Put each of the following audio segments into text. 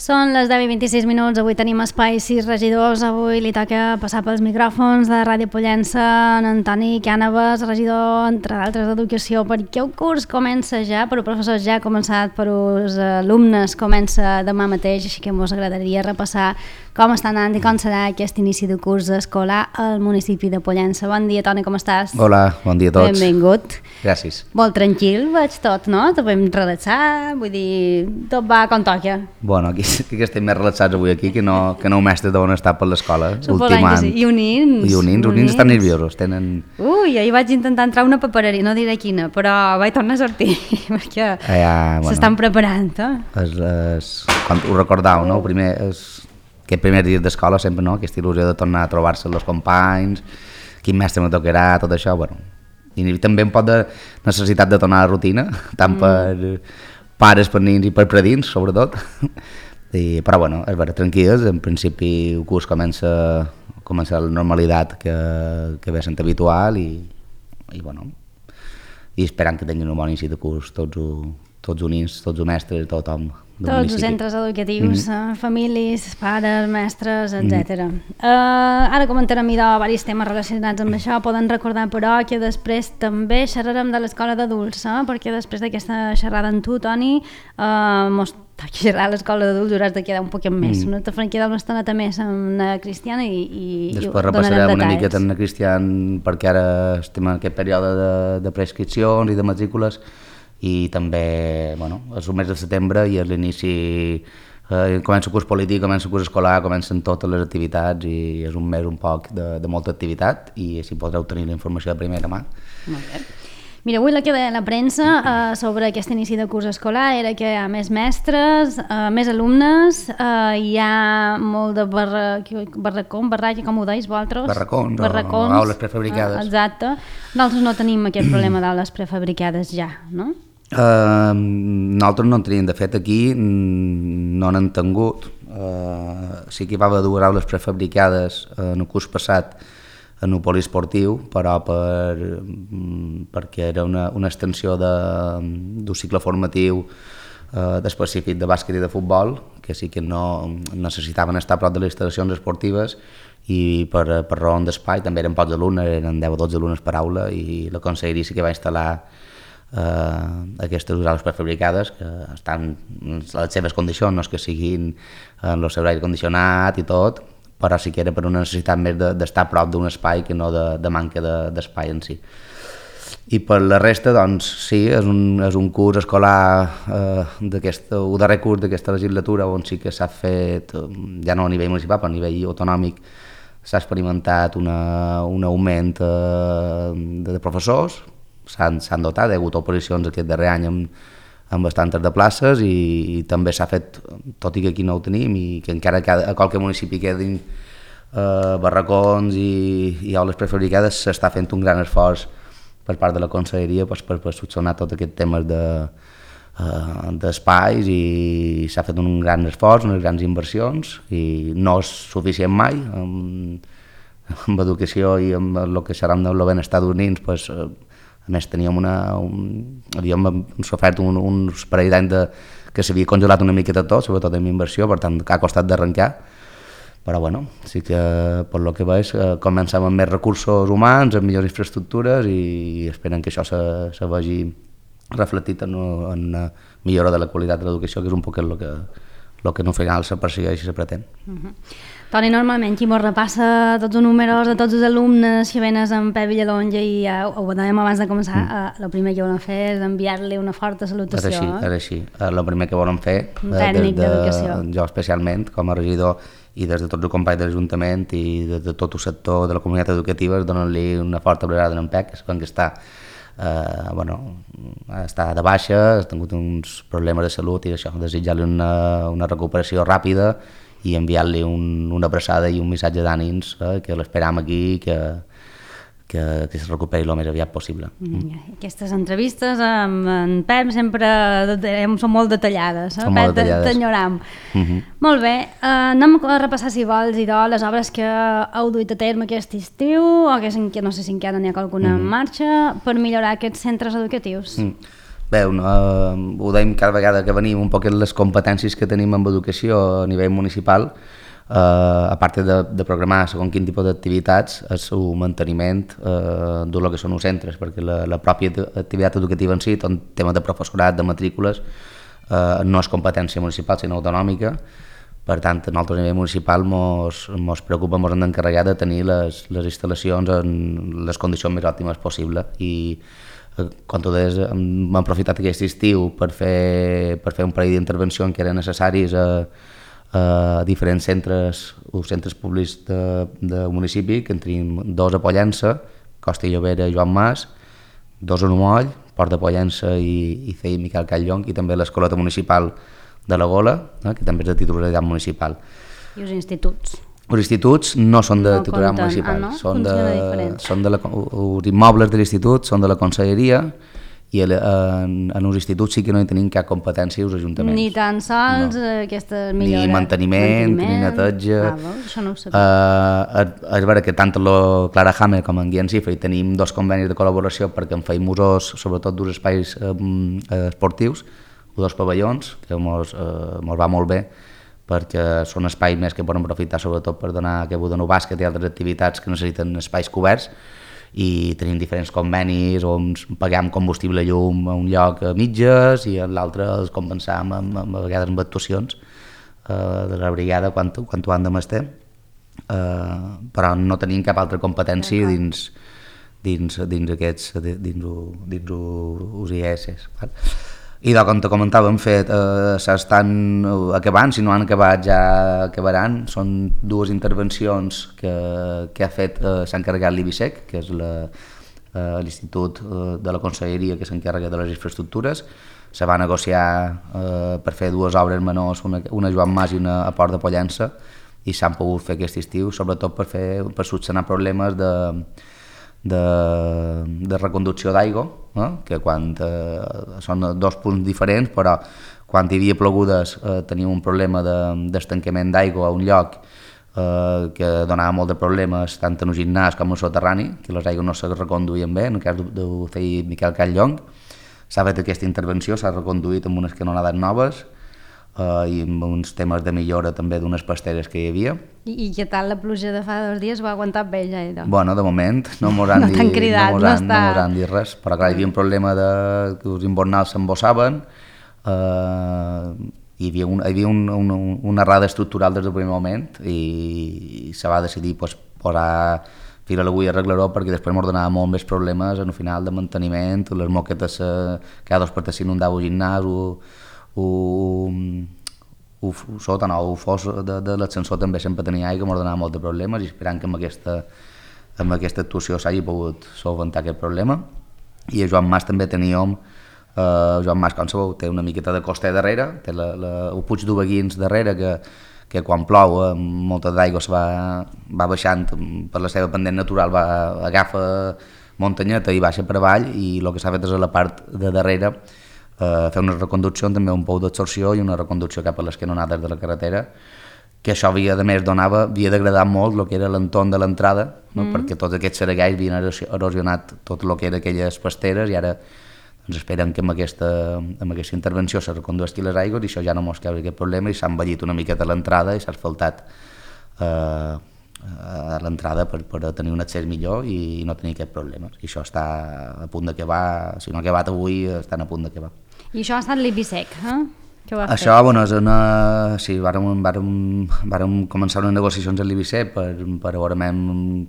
Són les 10:26, avui tenim espai 6 regidors, avui li toca passar pels micròfons de Ràdio Pollença en Antoni Cànovas, regidor, entre d'altres, d'Educació, perquè el curs comença ja, per als professors ja ha començat, per als alumnes comença demà mateix, així que ens agradaria repassar com està anant i com serà aquest inici de curs escolar al municipi de Pollença. Bon dia, Toni, com estàs? Hola, bon dia a tots. Benvingut. Gràcies. Molt tranquil, veig tot, no? Te podem relaxar, vull dir, tot va com toca. Bueno, aquí estem més relaxats avui aquí que no mestres deuen estar per l'escola. Suposant que sí. I unins estan nerviosos, tenen... Ui, ahir vaig intentar entrar a una papereria, no diré quina, però vaig tornar a sortir, perquè s'estan preparant, quan ho recordau, no? Aquest primer dia d'escola sempre, no? Aquesta il·lusió de tornar a trobar-se amb els companys, quin mestre me tocarà, tot això, bueno. I també un poc de necessitat de tornar a la rutina, tant per pares, per nins i per predins, sobretot. Però bueno, és vera, tranquil·les, en principi el curs comença la normalitat que ve sent habitual i bueno, i esperant que tinguin un bon inici de curs tots units, tots els mestres, tothom. Tots els centres educatius, famílies, pares, mestres, etc. Ara comentarem diversos temes relacionats amb això. Poden recordar, però, que després també xerrarem de l'escola d'adults, perquè després d'aquesta xerrada amb tu, Toni, mos toca xerrar a l'escola d'adults, hauràs de quedar un poquet més. No te farem quedar una estoneta més amb la Cristiana i després repassarem una miqueta amb la Cristiana, perquè ara estem en aquest període de prescripcions i de matrícules, i també, bueno, és el mes de setembre i és l'inici, comença el curs polític, comença el curs escolar, comencen totes les activitats i és un mes un poc de molta activitat i així podreu tenir la informació de primera mà. Molt bé. Mira, avui la que deia la premsa sobre aquest inici de curs escolar era que hi ha més mestres, més alumnes, hi ha molt de barraca, com ho deis vosaltres? Barracons, o aules prefabricades. Exacte. Nosaltres no tenim aquest problema d'aules prefabricades ja, no? Nosaltres no en tenim, de fet aquí no n'han tingut, sí que hi va haver dues aules prefabricades en el curs passat en el poliesportiu, però perquè era una extensió d'un cicle formatiu específic de bàsquet i de futbol, que sí que no necessitaven estar a prop de les instal·lacions esportives i per raó d'espai, també eren pocs alumnes, eren 10 o 12 alumnes per aula i la conselleria sí que va instal·lar aquestes aules prefabricades que estan en les seves condicions, no és que siguin en el seu aire condicionat i tot, però sí que era per una necessitat més d'estar a prop d'un espai que no de manca d'espai en si. I per la resta, doncs, sí, és un curs escolar el darrer curs d'aquesta legislatura on sí que s'ha fet, ja no a nivell municipal, però a nivell autonòmic, s'ha experimentat un augment de professors, s'han dotat, hi ha hagut oposicions aquest darrer any amb bastantes de places i també s'ha fet, tot i que aquí no ho tenim i que encara a qualque municipi quedin barracons i aules prefabricades, s'està fent un gran esforç per part de la conselleria per solucionar tot aquest temes d'espais i s'ha fet un gran esforç, unes grans inversions i no és suficient mai amb educació i amb el que serà el benestar dels nens, a més havíem sofert uns parell d'anys que s'havia congelat una miqueta tot, sobretot amb inversió, per tant ha costat d'arrencar, però bueno, sí que per lo que veig comencem amb més recursos humans, amb millors infraestructures i esperen que això se vegi reflectit en una millora de la qualitat de l'educació, que és un poc el que no final se persegueix i se pretén. Toni, normalment qui mos repassa tots els números de tots els alumnes que venes amb Pep Villalonga i ja ho dèiem abans de començar, el primer que volem fer és enviar-li una forta salutació. És així. El primer que volem fer, tècnic d'educació, jo especialment com a regidor i des de tots els companys de l'Ajuntament i des de tot el sector de la comunitat educativa, donen-li una forta abraçada en Pep, que quan està està de baixa, ha tingut uns problemes de salut i això, desitjar-li una recuperació ràpida i enviar-li una abraçada i un missatge d'ànims, que l'esperam aquí, que es recuperi el més aviat possible. Aquestes entrevistes amb en Pep sempre són molt detallades, Pep, t'enyoram. Molt bé, anem a repassar, si vols, les obres que heu duit a terme aquest estiu, o que no sé si encara n'hi ha alguna en marxa, per millorar aquests centres educatius. Bé, ho dèiem cada vegada que venim, un poc les competències que tenim en educació a nivell municipal, a part de programar segons quin tipus d'activitats, és el manteniment del que són els centres, perquè la pròpia activitat educativa en si, tot el tema de professorat, de matrícules, no és competència municipal, sinó autonòmica. Per tant, nosaltres a nivell municipal ens preocupa, ens hem d'encarregar de tenir les instal·lacions en les condicions més òptimes possibles. I com tu deies, hem aprofitat aquest estiu per fer un parell d'intervencions que eren necessaris a diferents centres públics del municipi, que en tenim 2 a Pollença, Costa i Llobera i Joan Mas, 2 a Numoll, Port de Pollença i CEI Miquel Catllong, i també l'escoleta municipal de la Gola, que també és de titularitat municipal. I els instituts? Els instituts no són de titularitat municipal, no? Són els immobles de l'institut són de la conselleria, i en els instituts sí que no hi tenim cap competència els ajuntaments. Ni tan sols aquestes millores? Ni manteniment, ni neteja. Això no ho sabia. És vera que tant el Clarahammer com en Guillem Cifra hi tenim 2 convenis de col·laboració perquè en feim usos, sobretot dels espais esportius, 2 pavellons, que ens va molt bé, perquè són espais més que poden aprofitar sobretot per donar que donar bàsquet i altres activitats que necessiten espais coberts, i tenim diferents convenis on paguem combustible llum a un lloc a mitges i a l'altre els compensam a vegades amb actuacions de la brigada quan ho han de mestre, però no tenim cap altra competència dins aquests UIS. I com te comentava, s'estan acabant, si no han acabat ja acabaran. Són 2 intervencions que s'ha encarregat l'IBISEC, que és l'Institut de la Conselleria que s'encarrega de les infraestructures. Se va negociar per fer 2 obres menors, una a Joan Mas i una a Port de Pollença, i s'han pogut fer aquest estiu, sobretot per solucionar problemes de reconducció d'aigua, que quan són 2 punts diferents, però quan hi havia plogudes teníem un problema d'estancament d'aigua a un lloc que donava molt de problemes tant en el gimnàs com en el soterrani, que les aigües no se reconduïen bé. En el cas del CEI Miquel Catllong s'ha fet aquesta intervenció, s'ha reconduït amb unes canonades noves i amb uns temes de millora també d'unes pasteres que hi havia. I què tal la pluja de fa 2 dies? Va aguantar bé ja? Bueno, de moment no mos han dit res, però clar, hi havia un problema que els invernals s'embossaven, hi havia una errada estructural des del primer moment i se va decidir posar fil a l'agulla i arreglar-ho perquè després ens donava molt més problemes en el final de manteniment, les moquetes cada 2 per 3 s'inundava el gimnàs, el fos de l'ascensor també sempre tenia aigua, ens donava molt de problemes, i esperant que amb aquesta actuació s'hagi pogut solventar aquest problema. I a Joan Mas també teníem, Joan Mas, com sabeu, té una miqueta de costa darrere, té el Puig d'Ubeguins darrere, que quan plou molta d'aigua se va baixant per la seva pendent natural, agafa muntanyeta i baixa per avall, i el que s'ha fet és a la part de darrere fer una reconducció, també un pou d'absorció i una reconducció cap a les canonades de la carretera, que això havia degradar molt el que era l'entorn de l'entrada, perquè tots aquests seregalls havien erosionat tot el que era aquelles pasteres, i ara esperen que amb aquesta intervenció se recondueixin les aigües i això ja no mos causa aquest problema, i s'ha envellit una miqueta l'entrada i s'ha asfaltat a l'entrada per tenir un accés millor i no tenir aquest problema. I això està a punt d'acabar, si no ha acabat avui, estan a punt d'acabar. I això ha estat l'IBISEC, que ho ha fet? Això, bueno, sí, vàrem començar unes negociacions amb l'IBISEC per veure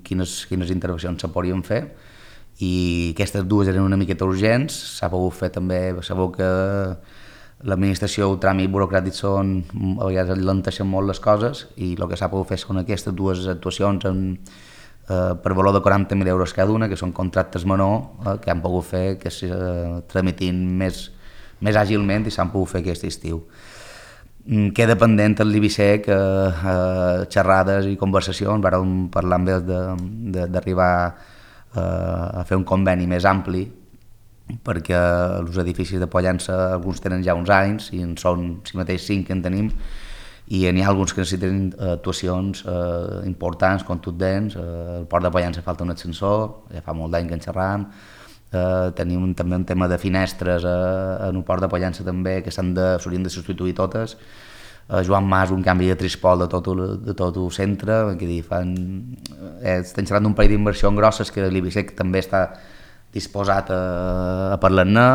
quines intervencions se podien fer, i aquestes 2 eren una miqueta urgents. S'ha pogut fer també, sabeu que l'administració, el tràmit burocràtic a vegades alenteixen molt les coses, i el que s'ha pogut fer són aquestes 2 actuacions per valor de 40.000 euros cada una, que són contractes menors que han pogut fer que es tramitin més àgilment i s'han pogut fer aquest estiu. Queda pendent el l'IBISEC, xerrades i conversacions, vàrem parlar amb ells d'arribar a fer un conveni més ampli, perquè els edificis de Pollença alguns tenen ja uns anys i en són si mateix 5 que en tenim, i n'hi ha alguns que necessiten actuacions importants, contundents. Al Port de Pollença falta un ascensor, ja fa molt d'any que en xerram, tenim també un tema de finestres en el port de Pollença també, que s'haurien de substituir totes. Joan Mas, un canvi de trispol de tot el centre, estem xerrant d'un parell d'inversions grosses que l'Ibisec també està disposat a parlar-ne,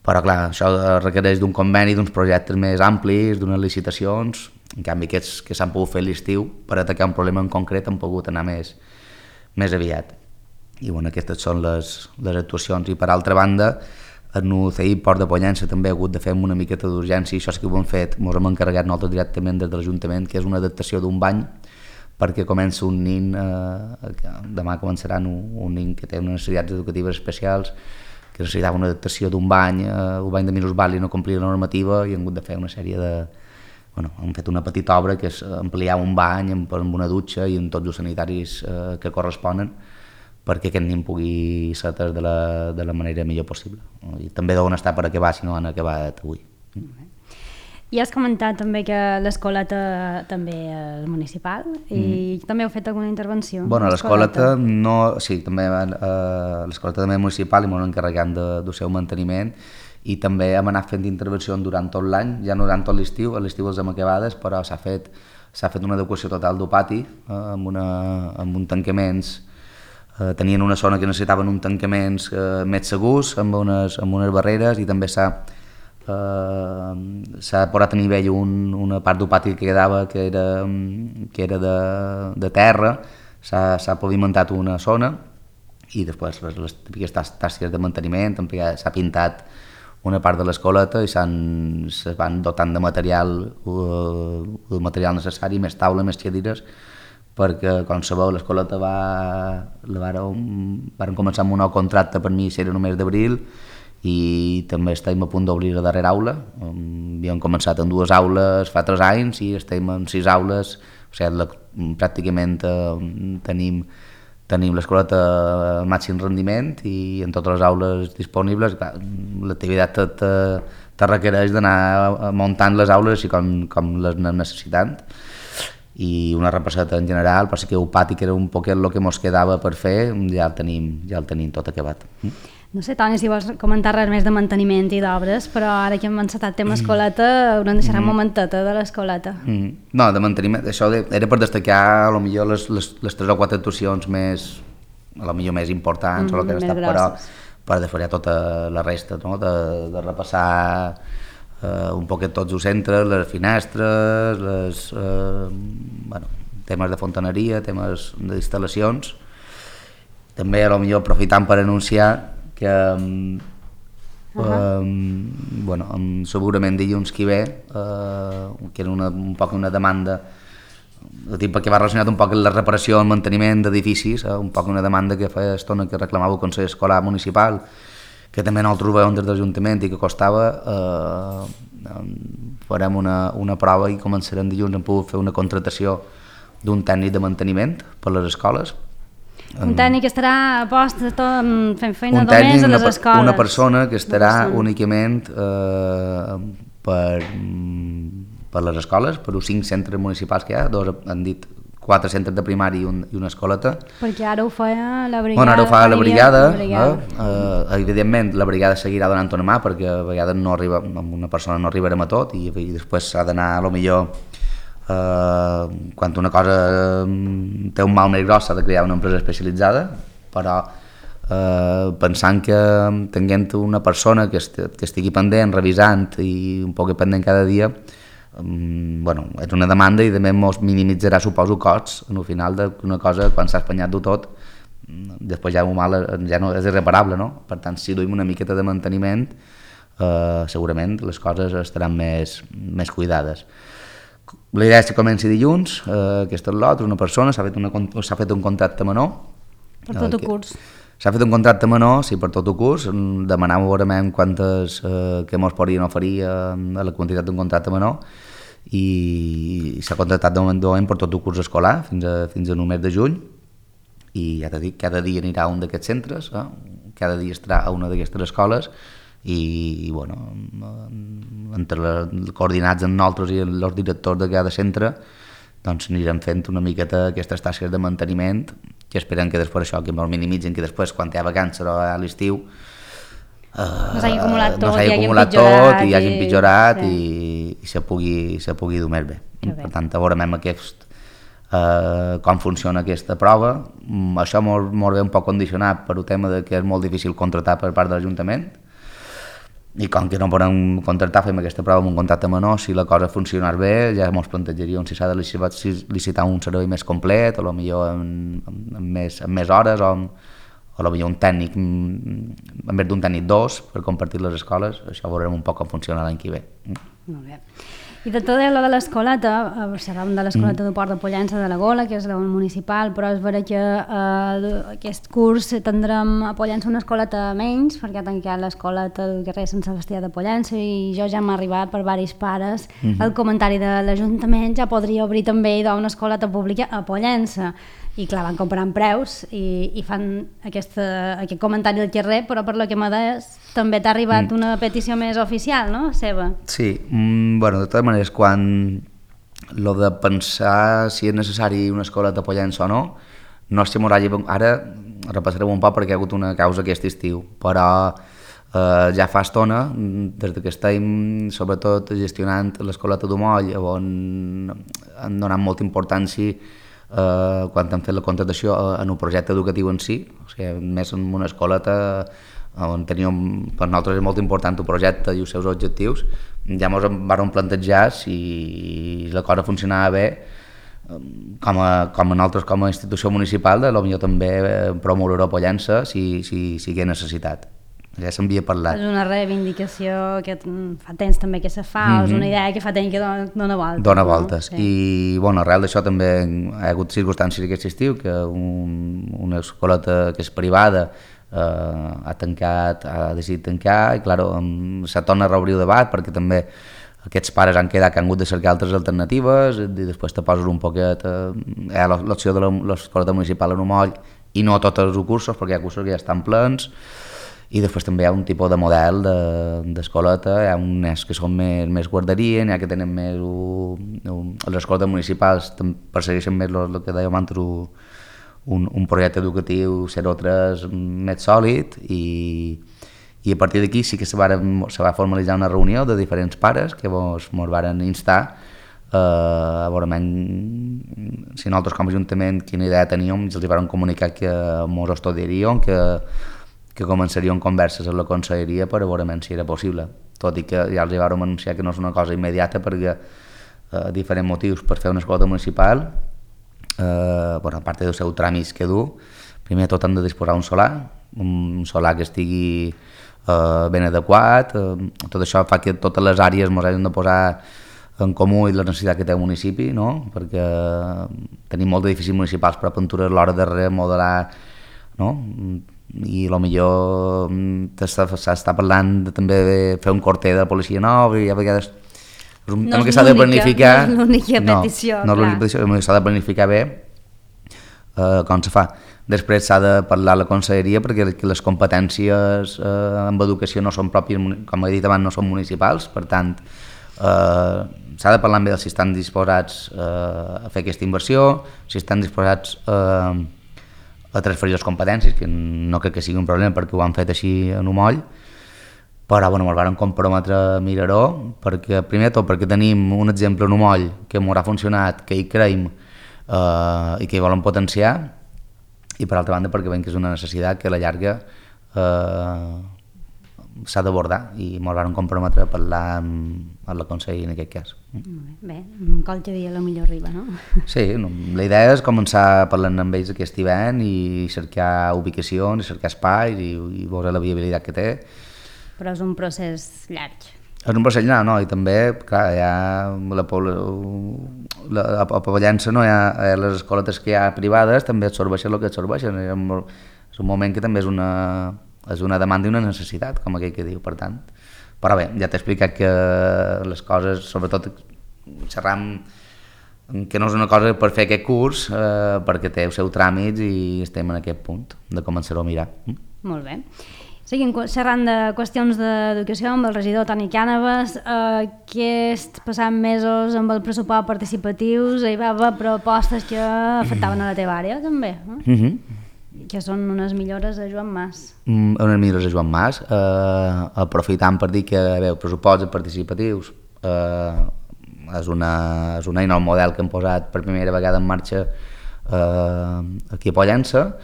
però clar, això requereix d'un conveni, d'uns projectes més amplis, d'unes licitacions. En canvi, aquests que s'han pogut fer l'estiu per atacar un problema en concret han pogut anar més aviat. I bueno, aquestes són les actuacions. I per altra banda, en el CI Port de Pollença també ha hagut de fer una miqueta d'urgència, i això sí que ho hem fet, ens hem encarregat nosaltres directament des de l'Ajuntament, que és una adaptació d'un bany, perquè comença un nin, demà començaran un nin que té unes necessitats educatives especials, que necessitava una adaptació d'un bany, el bany de minusvàlid no complia la normativa i hem hagut de fer una sèrie de... hem fet una petita obra que és ampliar un bany amb una dutxa i amb tots els sanitaris que corresponen, perquè aquest nin pugui ser atès de la manera millor possible. I també deuen estar per acabar si no han acabat avui. I has comentat també que l'escoleta també és municipal i també heu fet alguna intervenció? Bueno, l'escoleta no... Sí, també l'escoleta també és municipal i m'ho encarregant del seu manteniment, i també hem anat fent intervencions durant tot l'any, ja no durant tot l'estiu, a l'estiu les hem acabades, però s'ha fet una adequació total del pati amb uns tancaments. Tenien una zona que necessitaven uns tancaments més segurs, amb unes barreres, i també s'ha posat a nivell una part del pati que quedava que era de terra, s'ha pavimentat una zona, i després les típiques tasques de manteniment, s'ha pintat una part de l'escoleta i se van dotant de material, el material necessari, més taula, més cadires, perquè, com sabeu, l'escoleta varen començar amb un nou contracte, per mi era només d'abril, i també estem a punt d'obrir la darrera aula. Havíem començat en 2 aules fa 3 anys i estem en 6 aules, o sigui, pràcticament tenim l'escoleta al màxim rendiment i en totes les aules disponibles. L'activitat te requereix d'anar muntant les aules així com les anem necessitant, i una repasseta en general, però sí que el pati, que era un poquet el que ens quedava per fer, ja el tenim tot acabat. No sé, Toni, si vols comentar res més de manteniment i d'obres, però ara que hem encetat tema escoleta, haurem de deixar un momenteta de l'escoleta. No, de manteniment, això era per destacar potser les 3 o 4 actuacions més importants, o el que han estat, però per després tota la resta, no? de repassar un poquet tots els centres, les finestres, temes de fontaneria, temes d'instal·lacions. També potser aprofitant per anunciar que segurament dilluns que ve, que era un poc una demanda, perquè va relacionat un poc amb la reparació i el manteniment d'edificis, un poc una demanda que fa estona que reclamava el Consell Escolar Municipal, que també nosaltres veiem des de l'Ajuntament i que costava. Farem una prova i començarem dilluns. Hem pogut fer una contractació d'un tècnic de manteniment per les escoles. Un tècnic que estarà a post fent feina només a les escoles. Una persona que estarà únicament per les escoles, per els 5 centres municipals que hi ha, han dit 4 centres de primari i una escoleta. Perquè ara ho fa la brigada. Bueno, ara ho fa la brigada. Evidentment, la brigada seguirà donant una mà, perquè a vegades amb una persona no arribarem a tot, i després s'ha d'anar, quan una cosa té un mal més gros, s'ha de crear una empresa especialitzada, però pensant que tinguent una persona que estigui pendent, revisant i un poc pendent cada dia, és una demanda i també ens minimitzarà, suposo, costs al final d'una cosa, quan s'ha espanyat tot, després ja no és irreparable, no? Per tant, si duim una miqueta de manteniment, segurament les coses estaran més cuidades. La idea és que comenci dilluns, aquesta és l'altra, una persona, s'ha fet un contracte menor. Per tot el curs. S'ha fet un contracte menor, sí, per tot el curs, demanàvem veurem quantes que ens podrien oferir a la quantitat d'un contracte menor, i s'ha contractat de moment per tot el curs escolar fins al mes de juny, i ja t'he dit, cada dia anirà a un d'aquests centres, cada dia estarà a una d'aquestes escoles, i coordinats amb nosaltres i els directors de cada centre, doncs anirem fent una miqueta aquestes tasques de manteniment, que esperem que després això, que el minimitzin, que després quan hi ha vacances o a l'estiu no s'hagi acumulat tot, i hagi empitjorat i se pugui dur més bé. Per tant, veurem com funciona aquesta prova. Això molt bé un poc condicionat per el tema de que és molt difícil contractar per part de l'Ajuntament, i com que no podem contractar, fem aquesta prova amb un contracte menor. Si la cosa funcionar bé, ja ens plantejaríem si s'ha de licitar un servei més complet, o potser amb més hores, o potser un tècnic, en vez d'un tècnic 2, per compartir les escoles. Això veurem un poc com funciona l'any que ve. Molt bé. I de tot allò de l'escoleta, parlàvem de l'escoleta de Port de Pollença de la Gola, que és la municipal, però és vera que aquest curs tindrem a Pollença una escoleta menys, perquè ha tancat l'escoleta del carrer Sant Sebastià de Pollença, i jo ja m'ha arribat per diversos pares el comentari de l'Ajuntament ja podria obrir també una escoleta pública a Pollença. I clar, van comparant preus i fan aquest comentari del carrer, però per lo que m'ha deies també t'ha arribat una petició més oficial, no? Seva. Sí, bueno, de totes maneres, quan lo de pensar si és necessari una escola de Pollença o no, no és que m'ho hagi... Ara repassarem un poc perquè hi ha hagut una causa aquest estiu, però ja fa estona, des que estem sobretot gestionant l'escoleta d'Umoll, on han donat molta importància quan hem fet la contractació en un projecte educatiu en si, o sigui, més en una escoleta on teníem, per nosaltres és molt important el projecte i els seus objectius. Ja ens vam plantejar si la cosa funcionava bé, com a nosaltres com a institució municipal, potser també promoure a Pollença si hi ha necessitat. Ja s'havia parlat. És una reivindicació que fa temps també que se fa, és una idea que fa temps que dona voltes. Dona voltes. No? Sí. I bueno, arrel d'això també hi ha hagut circumstàncies aquest estiu que una escoleta que és privada ha decidit tancar, i clar, se torna a reobrir el debat perquè també aquests pares han quedat que han hagut de cercar altres alternatives, i després te poses un poquet l'opció de l'escoleta municipal en Umoll i no tots els cursos, perquè hi ha cursos que ja estan plens. I després també hi ha un tipus de model d'escoleta, hi ha uns que són més guarderia, hi ha que tenen més... Les escoles municipals persegueixen més el que dèiem abans, un projecte educatiu 0-3 més sòlid, i a partir d'aquí sí que se va formalitzar una reunió de diferents pares que ens van instar a veure si nosaltres com a Ajuntament quina idea teníem, i els van comunicar que ens estudiaríem, que començarien converses amb la conselleria per a veure si era possible, tot i que ja els vam anunciar que no és una cosa immediata perquè diferents motius per fer una escola municipal, a part dels seus tràmits que du, primer de tot han de disposar un solar que estigui ben adequat, tot això fa que totes les àrees ens hagin de posar en comú i la necessitat que té el municipi, no? Perquè tenim molts edificis municipals, però a Pentures a l'hora de remodelar, no? I potser s'està parlant també de fer un corter de la policia nova, i a vegades és un tema que s'ha de planificar. No és l'única petició, no és l'única petició, s'ha de planificar bé com se fa. Després s'ha de parlar a la conselleria perquè les competències en educació no són pròpies, com he dit abans, no són municipals, per tant s'ha de parlar amb ells si estan disposats a fer aquesta inversió, si estan disposats a transferir les competències, que no crec que sigui un problema perquè ho han fet així en Umoll, però ens vam comprometre a mirar-ho, perquè primer de tot perquè tenim un exemple en Umoll que ens ha funcionat, que hi creiem i que hi volen potenciar, i per altra banda perquè veiem que és una necessitat que a la llarga s'ha d'abordar, i ens vam comprometre a parlar amb la conselleria en aquest cas. Bé, qualque dia potser arriba, no? Sí, la idea és començar parlant amb ells aquest hivern i cercar ubicacions, cercar espais i veure la viabilitat que té. Però és un procés llarg. És un procés llarg, no? I també, clar, hi ha a Pollença, no? Hi ha les escoletes que hi ha privades, també absorbeixen el que absorbeixen. És un moment que també és una demanda i una necessitat, com aquell que diu, per tant. Però bé, ja t'he explicat que les coses, sobretot xerram que no és una cosa per fer aquest curs, perquè té els seus tràmits i estem en aquest punt de començar-ho a mirar. Molt bé. Seguim xerrant de qüestions d'educació amb el regidor Toni Cànovas. Aquests passats mesos amb el pressupost participatius hi va haver propostes que afectaven a la teva àrea, també, que són unes millores a Joan Mas. Unes millores a Joan Mas, aprofitant per dir que els pressupostos participatius és una eina, un model que hem posat per primera vegada en marxa aquí a Pollença.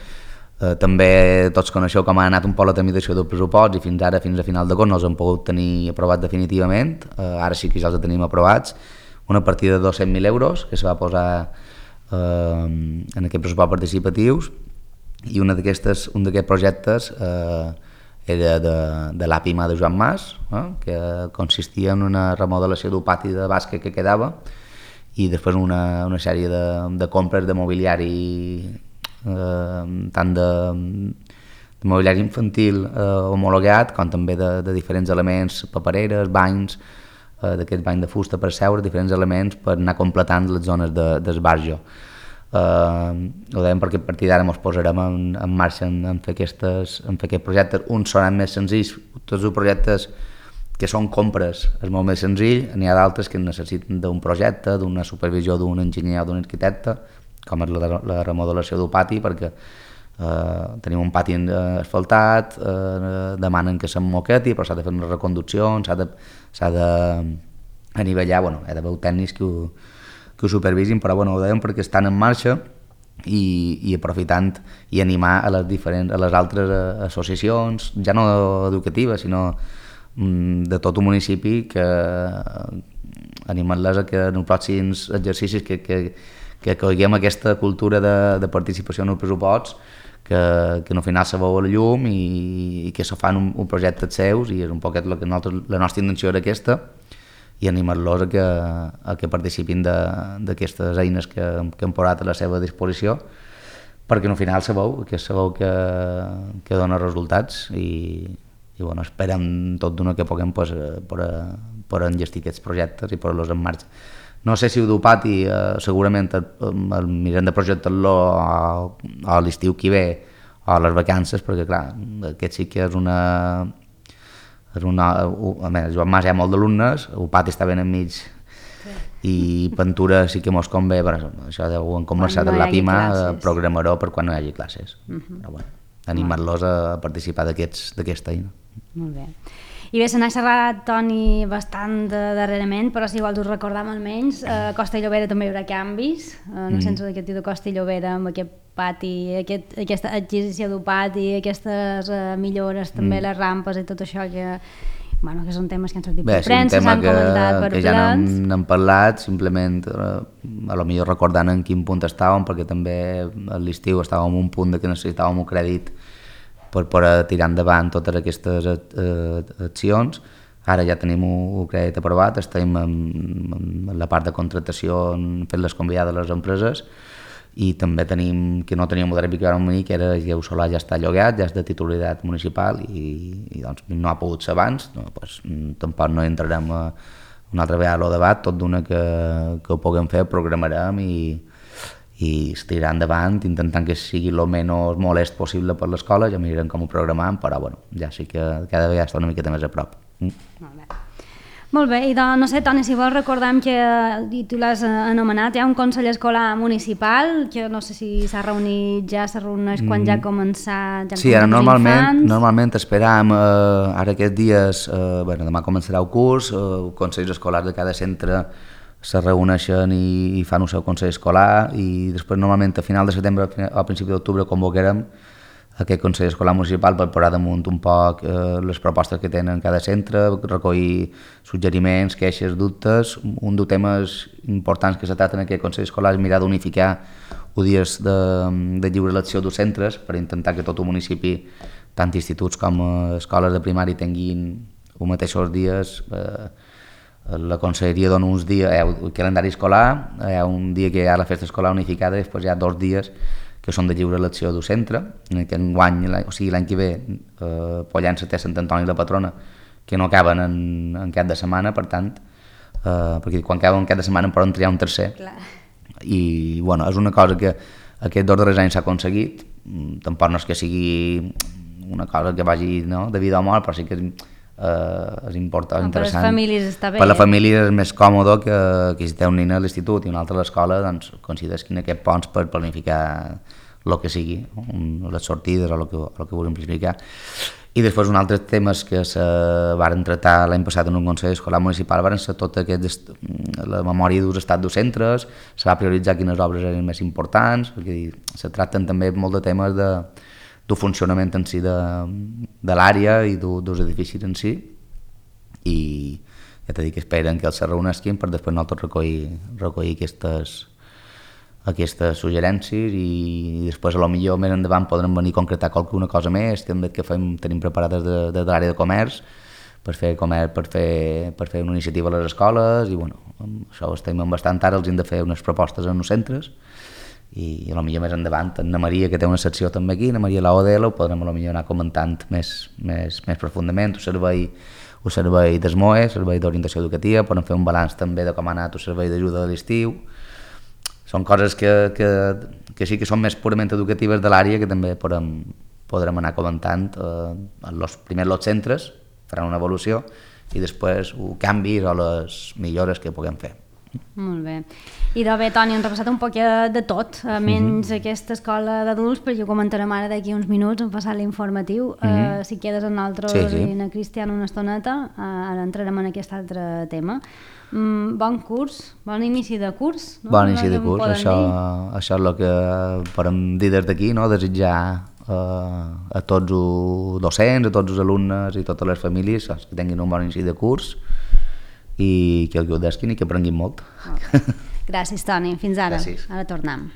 També tots coneixeu com ha anat un poc la tramitació del pressupost i fins a final d'agost no els hem pogut tenir aprovat definitivament. Ara sí que ja els tenim aprovats. Una partida de 200.000 euros que se va posar en aquest pressupost participatius, i un d'aquests projectes era de l'APIMA de Joan Mas, que consistia en una remodelació d'un pati de bàsquet que quedava i després una sèrie de compres de mobiliari, tant de mobiliari infantil homologat com també de diferents elements, papereres, banys, d'aquests banys de fusta per seure, diferents elements per anar completant les zones d'esbarjo. Ho dèiem perquè a partir d'ara ens posarem en marxa en fer aquests projectes. Uns seran més senzills, tots els projectes que són compres és molt més senzill, n'hi ha d'altres que necessiten d'un projecte, d'una supervisió d'un enginyer o d'un arquitecte, com és la remodelació d'un pati, perquè tenim un pati asfaltat, demanen que s'emmoqueti, però s'ha de fer una reconducció, s'ha d'anivellar, hi ha d'haver tècnics que ho supervisin, però ho dèiem perquè estan en marxa i aprofitant i animar a les altres associacions, ja no educatives, sinó de tot un municipi, que animant-les a que en els pròxims exercicis que coguem aquesta cultura de participació en els pressuposts, que al final se veu a la llum i que se fan un projecte seus, i és un poquet la nostra intenció era aquesta, i animar-los a que participin d'aquestes eines que hem posat a la seva disposició, perquè al final se veu que dona resultats i esperem tot d'una que puguem per enllestir aquests projectes i posar-los en marxa. No sé si ho du pati, segurament el mirem de projectar-lo a l'estiu que ve o a les vacances, perquè clar, aquest sí que és a més, Joan Mas hi ha molt d'alumnes, el pati està ben enmig, i pintura sí que mos convé, però això ho hem començat a l'APIMA, programaró per quan no hi hagi classes. Però animar-los a participar d'aquesta eina. Molt bé. I bé, se n'ha xerrat, Toni, bastant darrerament, però si vols us recordam almenys, a Costa i Llobera també hi haurà canvis, en el centre educatiu de Costa i Llobera, amb aquest pati, aquesta adquisició d'un pati, aquestes millores, també les rampes i tot això que són temes que han sortit per premsa, s'han comentat per plens. Que ja n'hem parlat, simplement a lo millor recordant en quin punt estàvem, perquè també a l'estiu estàvem en un punt que necessitàvem un crèdit per tirar endavant totes aquestes accions. Ara ja tenim un crèdit aprovat, estem en la part de contractació fent les convidades a les empreses, i també tenim, que no teníem el que vam venir, que era que el solar ja està llogat, ja és de titularitat municipal i doncs no ha pogut ser abans, tampoc no entrarem una altra vegada al debat, tot d'una que ho puguem fer, programarem i es tirarà endavant intentant que sigui el menys molest possible per l'escola, ja mirarem com ho programem, però ja sí que cada vegada està una miqueta més a prop. Molt bé, i no sé, Toni, si vols recordem que, i tu l'has anomenat, hi ha un Consell Escolar Municipal, que no sé si s'ha reunit ja, s'ha reunit quan ja ha començat... Sí, ara normalment esperam, ara aquests dies, demà començarà el curs, els consells escolars de cada centre se reuneixen i fan el seu consell escolar, i després normalment a final de setembre o a principi d'octubre convocarem aquest consell escolar municipal per posar damunt un poc les propostes que tenen cada centre, recollir suggeriments, queixes, dubtes. Un dels temes importants que se tracta en aquest consell escolar és mirar d'unificar els dies de lliure elecció dels centres per intentar que tot el municipi, tant instituts com escoles de primària, tinguin els mateixos dies. La conselleria dona uns dies, el calendari escolar, hi ha un dia que hi ha la festa escolar unificada, i després hi ha 2 dies que són de lliure elecció del centre. L'any que ve, Pollença té Sant Antoni i la Patrona, que no acaben en cap de setmana, per tant, perquè quan acaben en cap de setmana en poden triar un tercer. I és una cosa que aquests 2 darrers anys s'ha aconseguit, tampoc no és que sigui una cosa que vagi, no?, de vida o mort, però sí que és important, interessant. Per les famílies està bé. Per la família és més còmode que si té un nen a l'institut i un altre a l'escola, doncs consideres quin aquest ponts per planificar el que sigui, les sortides o el que vulguin planificar. I després un altre temes que se varen tractar l'any passat en un Consell Escolar Municipal varen ser tot la memòria d'ús estat dels centres, se va prioritzar quines obres eren més importants, perquè se tracten també molt de temes del funcionament en si de l'àrea i dels edificis en si, i ja t'he dit que esperen que els se reunesquin per després nosaltres recollir aquestes suggerències i després a lo millor més endavant podrem venir a concretar qualsuna cosa més també que tenim preparades de l'àrea de comerç per fer una iniciativa a les escoles i bueno, això ho estem bastant ara, els hem de fer unes propostes en els centres i a lo millor més endavant Anna Maria, que té una secció també aquí, Anna Maria l'ODL, ho podrem a lo millor anar comentant més profundament, el servei d'ESMOE, servei d'orientació educativa, podem fer un balanç també de com ha anat el servei d'ajuda de l'estiu. Són coses que sí que són més purament educatives de l'àrea que també podrem anar comentant primer els centres, faran una evolució i després canvis o les millores que puguem fer. Molt bé. I de bé, Toni, hem repassat un poc de tot, menys aquesta escola d'adults, però ho comentarem ara d'aquí uns minuts, hem passat l'informatiu. Si quedes amb nosaltres i en Cristian una estoneta, ara entrarem en aquest altre tema. Bon curs, bon inici de curs. No? Bon inici de curs, això és el que podem dir des d'aquí, no? Desitjar a tots els docents, a tots els alumnes i totes les famílies que tinguin un bon inici de curs i que el gaudeixin i que aprenguin molt. Gràcies, Toni. Fins ara. Gràcies. Ara tornem.